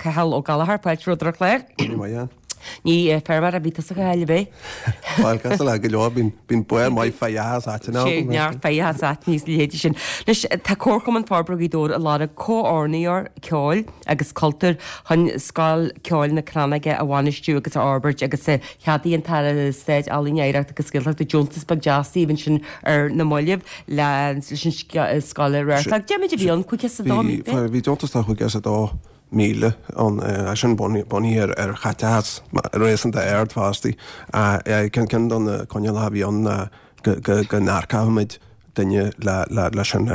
Cathal Ó Gallchóir, fáilte romhat ar an chlár. Ní maith an. Ní feirmeoir a bhí tusa a Chathail, ab é? Bhuel, cosúil le go leor, bíonn barr maith féitheachas áiteanna Sé agam. neart féitheachas áiteanna is a leithéidí sin. Anois, tá Comharchumann Forbartha Ghaoth Dobhair ag lorg comhordaitheoir ceoil agus cultúir chun Scoil Ceoil na Crannóige a bhainistiú agus a fhorbairt agus cheadaigh an tAire Stáit Ealaíon, Oidhreachta agus Gaeltachta deontas beag deas daoibh ansin ar na mallaibh leis an scoil a reáchtáil. Cad é méid a bhí ann, 502,000? Bhí deontas de 502,000 ann, é sin bunaithe ar chaiteachas réasúnta ard fostaí. Ceann de na coinníollacha a bhí ann ná go n-earcódh muid duine leis an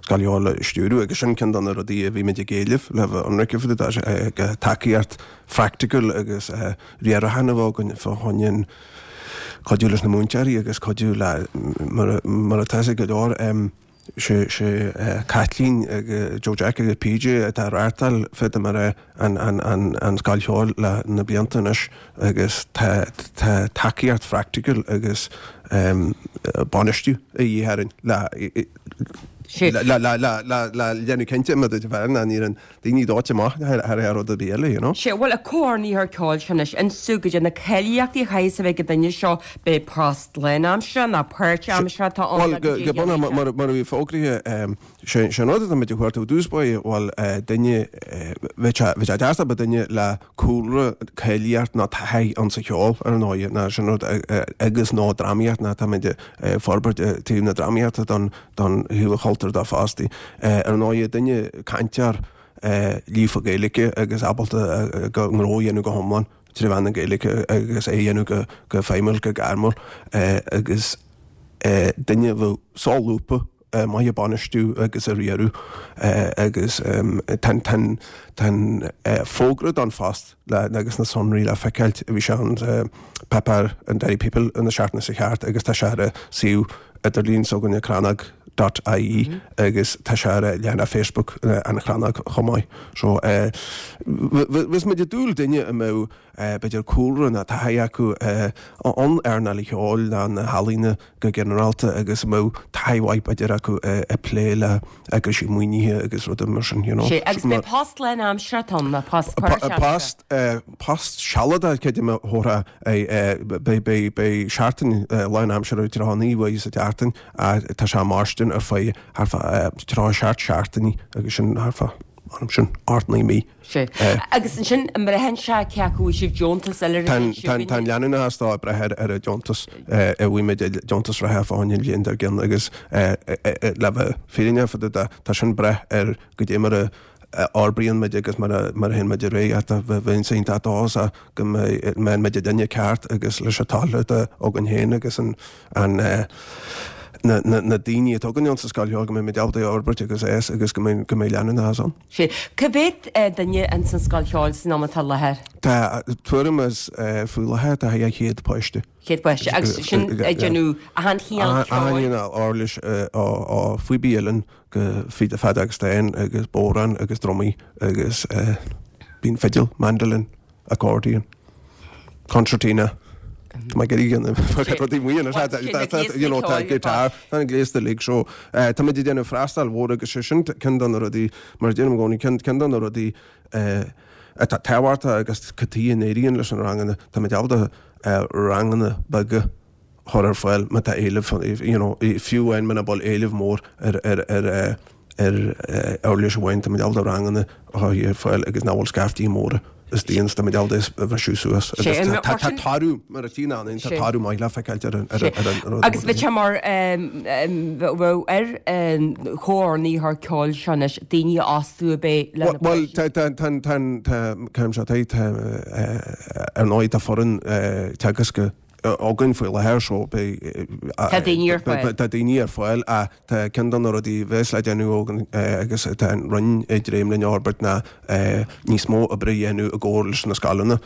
scoil cheoil a stiúradh agus sin ceann de na rudaí a bhí muid ag éileamh le bheith ionraic fá dtaobh de, tacaíocht phraiticiúil agus riaracháin a bheith againn fá choinne an cuidiú leis na múinteoirí agus cuidiú le, mar atá fhios ag go leor, sé Caitlín agus Joe Jack agus PJ atá ag reáchtáil fé mar é an scoil cheoil le na blianta anois agus tá tacaíocht phraiticiúil agus bainistiú a dhíth orainn le le déanamh cinnte mar a déarfá nach n-éiríonn daoine dóite amach thar aon rud ar bith eile, you know. Sea, bhuel, an comhordaitheoir ceoil seo anois, inis domh goidé na cáilíochtaí a chaithfeas a bheith ag an duine seo, b'é post lánaimseartha nó páirtaimseartha atá ann Bhuel, nó goidé go bunúsach, a dhéanfaidh sé? mar a bhí fógraithe, sé an rud atá muid ag cuartú i dtús báire, bhuel, duine, bheadh sé, bheadh sé deas dá mbeadh duine le cúlra cáilíocht nó taithí ann sa cheol, ar ndóigh, ná sin rud, agus nó drámaíocht, ná tá muid ag forbairt taobh na drámaíochta don, don thaobh an chultúir dó fostaí. Ar ndóigh, duine cainteoir líofa Gaeilge agus ábalta a ngnó a dhéanamh go hiomlán trí mheán na Gaeilge agus é a dhéanamh go feidhmiúil, go gairmiúil agus duine a bheadh solúbtha, maith ag bainistiú agus ag riaradh agus tá an fógra don phost agus na sonraí le feiceáilt, bhí sé ann sa páipéar an Derry People na seachtaine seo thart agus tá sé ar an suíomh idirlín s'againne crannóg dot ie agus tá sé ar leathanach Facebook an Chrannóg chomh maith. So bheadh muid ag dúil duine a mbeadh b'fhéidir cúlra nó taithí acu in earnáil an cheoil nó na healaíona go ginearálta agus a mbeadh taithí mhaith b'fhéidir acu ag plé le eagraisí maoinithe agus rudaí mar sin, you know. Sé, agus b'é post lánaimseartha atá ann, nó post páirtaimseartha? Post, post sealadach, creidim a thabharfá, beidh, beidh, beidh seachtain lánaimseartha 39 uair sa tseachtain, tá sé mairstean ar feadh, thart fá 37 seachtainí agus sin thart fá, sin, 8, 9 mí. Sea. Agus ansin, an mbraitheann sé cé acu bhfuil sibh deontas eile Tá an leanúnachas dó ag brath ar an deontas a bhfuil muid deontas reatha fá choinne an bhliain dár gcionn agus le bheith fírinneach fá dtaobh de, tá sin ag brath ar goidé mar a fhorbraíonn muid agus mar a théann muid ar aghaidh. Tá bheinn iontach dóchasach go mbeidh muid an duine ceart agus leis an toil atá againn féin agus an na daoine atá againn ann sa scoil cheoil go mbeidh muid ábalta é a fhorbairt agus é agus go mbeidh leanúnachas ann. Sea. Cá mhéad duine ins an scoil cheoil san am atá i láthair? Tá tuairim is faoi láthair tá 200 páiste. 100 páiste. Agus sin ag déanamh achan chineál ceoil? Achan chineál uirlis ó phíobaí uilleann go fíde feadóg stáin agus bodhrán agus drumaí agus bíonn fidil, mandolin. accordion, concertina, tá mé ag iarraidh na rudaí maoin you know tá guitar, tá an gléas uilig so tá muid ag déanamh freastal mhór agus sé sin ceann de na rudaí mar a deirim i gcónaí ceann ceann de na rudaí atá tábhachtach agus cad chuige a n-éiríonn leis na ranganna tá muid ábalta ranganna beaga a chur ar fáil má tá éileamh, you know, fiú amháin muna bhfuil éileamh mór ar ar ar ar uirlis amháin, tá muid ábalta ranganna a chur ar fáil agus nach bhfuil scaiftí móra istigh ann, tá muid ábalta é a bhriseadh suas agus tá tá toradh, mar a tchíonn ann, tá toradh maith le feiceáilt ar an ar an ar an rud. Agus bheadh sé mar bheadh ar an chomhordaitheoir ceoil seo anois daoine a fhostú ab é le na Bhuel, tá tá tá tá tá céim seo tá tá ar ndóigh tá foireann teagasc againn faoi láthair so beidh Tá daoine ar fáil. Tá daoine ar fáil ach tá ceann de na rudaí a bheas le déanamh againn agus tá an Roinn ag dréim linn a fhorbairt ná níos mó oibre a dhéanamh i gcomhar leis na scoileanna.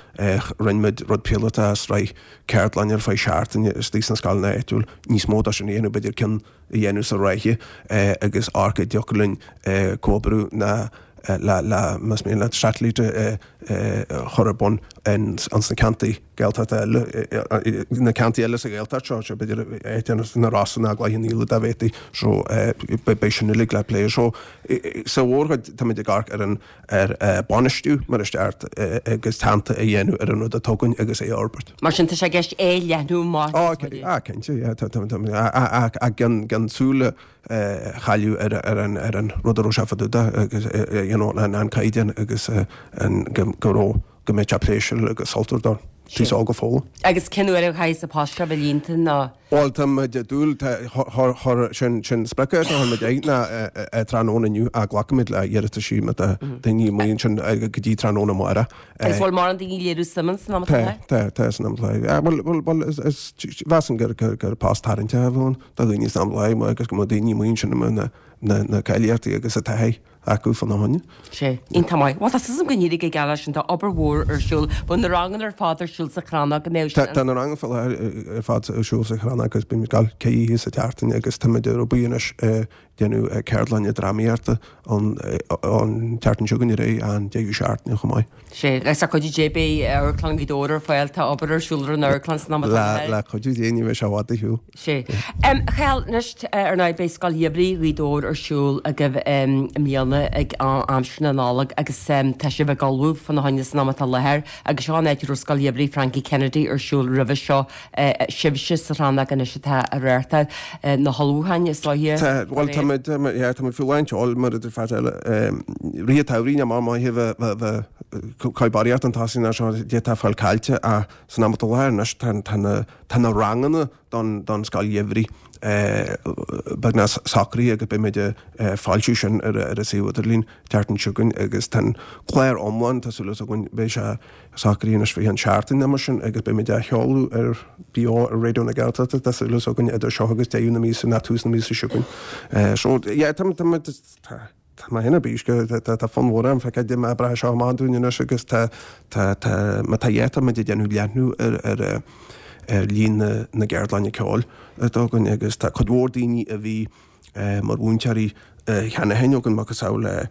Rinne muid rud píolótach, sraith ceardlann ar feadh seachtaine istigh sna scoileanna áitiúil, níos mó de sin a dhéanamh, b'fhéidir ceann a dhéanamh sa ráithe agus amharc an dtiocfadh linn comhoibriú ná le, le, más mian leat, satailíte a chur ar bun ins na ceantair. Gaeltachta eile, na ceantair eile sa Ghaeltacht seo, seo b'fhéidir áit ar na Rosa nó Cloich Cheann Fhaola dá bhféadfaí, so beidh sin uilig le plé. So sa mhórchuid táimid ag amharc ar an ar bainistiú mar is ceart agus teannta a dhéanamh ar an rud atá againn agus é a fhorbairt. Mar sin tá sé i gceist é a leathnú amach níos faide. Á cinnte, yeah, tá tá tá gan gan súil a chailleadh ar ar an ar an rud a raibh sé fá dtaobh de agus you know an an caighdeán agus an go go raibh go mbeadh sé pléisiúrtha agus sultmhar don t-aos óg a foghlaim. Agus cén uair a chaithfidh an post seo a bheith líonta nó? Bhuel, tá muid ag dúil, sin sprioc atá chuir muid air ná tráthnóna inniu ach glacfaimid le hiarrataisí má tá daoine amuigh ansin go dtí tráthnóna amárach. Agus bhfuil mórán daoine ag léiriú suim san am atá Tá, tá, tá san am atá. Bhuel, bhuel, bhuel, is, is, mheasainn gur, gur, gur post tarraingteach a bheadh ann do dhaoine san am atá agus go mbeadh daoine amuigh ansin i mbun na, na, na cáilíochtaí agus an taithí. acu fána choinne. Sea. Iontach maith. Bhuel, tá súil agam go n-éireoidh go geal leis sin. Tá obair mhór ar siúl. Bhfuil na ranganna ar fad ar siúl sa Chrannóg an mbeidh sin? Tá na ranganna faoi láthair ar fad ar siúl sa Chrannóg agus bímid ag gabháil ceithre oíche sa tseachtain agus táimid ar obair anois ag déanamh ceardlainne drámaíochta an tseachtain seo chugainn ar aghaidh an deireadh seachtaine chomh maith. Sea. Agus le cuidiú Dé beidh Amharclann Ghaoth Dobhair ar fáil. Tá obair ar siúl ar an amharclann san am atá Le le cuidiú Dé ní bheidh sé i bhfad ar shiúl. Sea. A Chathail, anois, ar ndóigh, beidh Scoil Gheimhridh Ghaoth Dobhair ar siúl agaibh i mbliana ag aimsir na Nollag agus tá sibh ag ullmhú fána choinne san am atá i láthair agus seo an áit a raibh Scoil Gheimhridh Frankie Kennedy ar siúl roimhe seo. Sibhse sa Chrannóg anois atá ag reáchtáil na hullmhúcháin is dóiche. Tá, bhuel, tá muid, yeah, tá muid faoi lán tseoil mar a deir fear eile. Rith an tsamhraidh, ní mar maith a bheith, bheith, bheith barraíocht an tosaigh ná seo, d'fhéadfá fáil caillte ach san am atá i láthair anois tá, tá na, Tá na ranganna don Scoil Gheimhridh beagnach socraithe agus beidh muid ag foilsiú sin ar an suíomh idirlín tseachtain seo chugainn agus tá an clár iomlán, tá súil againn, beidh sé socraithe anois faoi cheann seachtain nó mar sin agus beidh muid á sheoladh ar beo ar Raidió na Gaeltachta, tá súil againn idir seo agus deireadh na míosa nó tús na míosa seo chugainn. So, yeah, tá, tá, tá. Tá mé féin ar bís go, tá fonn mhór orm feiceáil cad é mar a oibreoidh seo amach dúinn anois agus tá, tá, tá, má tá yeah, tá muid ag déanamh leathnú ar, ar, ar líon na, na gceardlainne ceoil atá againn agus tá cuid mhór daoine a bhí mar mhúinteoirí cheana féin againn, macasamhail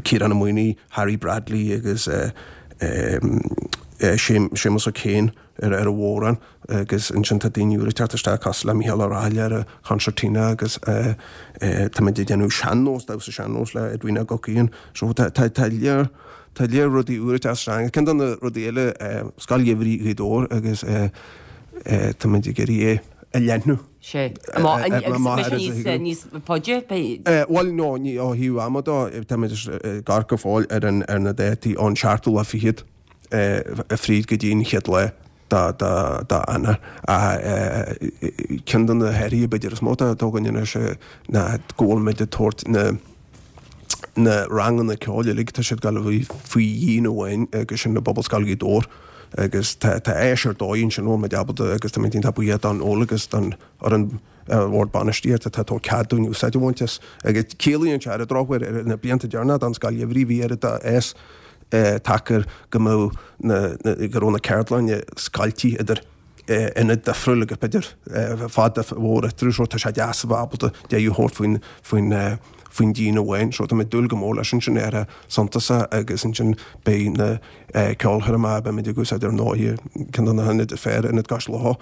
Ciarán Ó Maonaigh, Harry Bradley agus Séamus O'Kane. ar an bhodhrán agus ansin tá daoine úra ag teacht isteach cosúil le Mícheál Ó Rathaille ar an choncertina agus táimid ag déanamh sean-nós, damhsa sean-nós le Edwina Guckian. So tá tá tá léar tá léar rudaí úra ag teacht isteach. Ceann de na rudaí eile Scoil Gheimhridh Ghaoth Dobhair agus táimid ag iarraidh é a leathnú. Sea. Agus beidh sé níos níos faide? Bhuel no, ní ó thaobh ama de, táimid ag amharc go fóill ar an ar na dátaí ón seachtú lá fichead. fríd go dtí an chéad lá d'Eanáir. Ceann de na hathruithe b'fhéidir is mó atá againn anois ná go bhfuil muid ag tabhairt na na ranganna ceoil uilig, tá siad ag gabháil a bheith faoi dhíon amháin agus sin i bPobalscoil Ghaoth Dobhair agus tá áis ar dóigh ansin a bhfuil muid ábalta agus táimid iontach buíoch don Fheoil agus don fhoireann Bhord Bainistíochta atá ag tabhairt cead dúinn úsáid a bhaint as. Agus ciallaíonn sé ar an drochuair, ar na blianta deireanacha don Scoil Gheimhridh, bhí oiread d'fhás tagtha air go mbeadh na, go raibh na ceardlainne scoilte idir ionaid difriúil agus b'fhéidir fad mhór eatarthu so tá sé deas a bheith ábalta deireadh a thabhairt faoin, faoin, faoin díon amháin. So tá mé ag dúil go mór leis ansin ar a suntasach agus ansin beidh na ceolchoirmeacha, beimid ag úsáid ar ndóigh ceann de na hionaid is fearr, Ionad Cois Locha,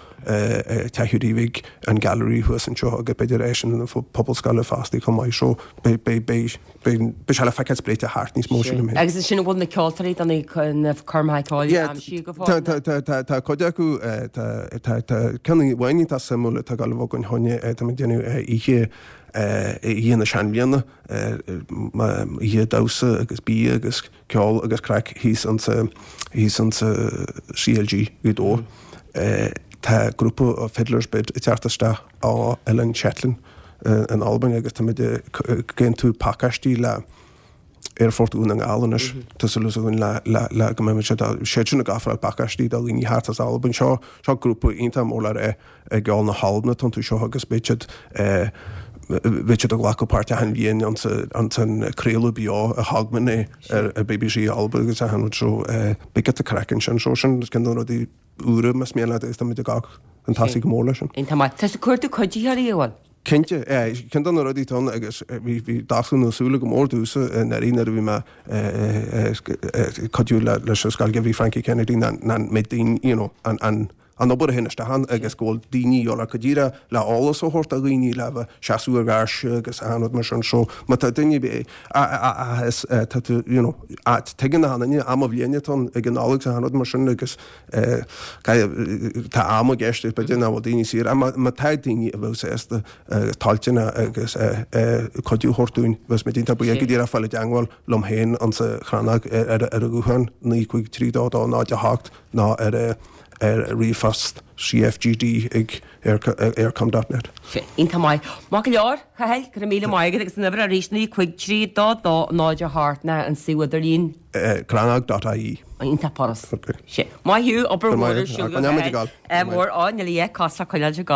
Teach Hiúdaí Bhig, an Gallery thuas anseo agus b'fhéidir áiseanna na Pobalscoile fosta chomh maith. So beidh, beidh, beidh, beidh, beidh sé le feiceáil spréite thart níos mó sílim féin. Agus ansin an bhfuil na ceoltóirí do na coirmeacha ceoil aimsithe go fóill? Tá, tá, tá, tá cuid acu, tá, tá, tá ceann amháin iontach suimiúil atá ag gabháil a bheith againn cheana, tá muid ag déanamh oíche, oíche na seanbhliana, oíche damhsa agus bia agus ceol agus craic thíos ansa, thíos ansa CLG Ghaoth Dobhair. Tá grúpa Fiddler's Bid ag teacht isteach ó Oileán Shetland in Albain agus táimid ag aontú pacáistí le Aerfort Dhún na nGall anois. Tá súil againn le, le, le go mbeidh siad, siad sin ag ofráil pacáistí do dhaoine thart as Albain. Seo, seo grúpa iontach mór le rá i gceol na hAlban atá iontu seo agus beidh siad beidh siad ag glacadh páirt achan bhliain ansan craoladh beo a Hogmanay ar BBC Alba agus achan rud so beidh giota craic ansin so sin ceann de na rudaí úra más mian leat agus táimid ag gabháil chun tosaigh go mór leis sin. Iontach maith. Tá tú ag cuardú cuiditheoirí, an bhfuil? Cinnte, ceann de na rudaí atá ann agus bhí dalladh na súile go mór domhsa i ndáiríre nuair a bhí mé ag cuidiú leis an scoil bhí Frankie Kennedy ná an méid daoine, you know, an an obair a théann isteach ann agus go bhfuil daoine a dhul go díreach le eolas a thabhairt do dhaoine le bheith seasamh ar gháirse agus achan rud mar sin. So má tá duine ar bith a is tá tú, you know, tuigeann achan duine am an bhliain atá ann ag an Nollaig is achan rud mar sin agus Tá am i gceist b'fhéidir nach bhfuil daoine saor ach má tá daoine a bheadh sásta agus toilteanach agus cuidiú a thabhairt dúinn, bheadh muid iontach buíoch go díreach fáil i dteangmháil liom féin insa Chrannóg ar an ghuthán 9 5 3 2 2 0 8 nó ar ríomhphost cfgd ag eircom dot net. Iontach maith. Maith go leor, a Chathail, go raibh míle maith agat agus an uimhir arís 9 5 3 2 2 0 8 ná an suíomh idirlín. Crannóg dot ie. Iontach furast. Maith thú, obair mhór ar siúl agat. Mór, á, níl a dhath cosúil le coinneáil go.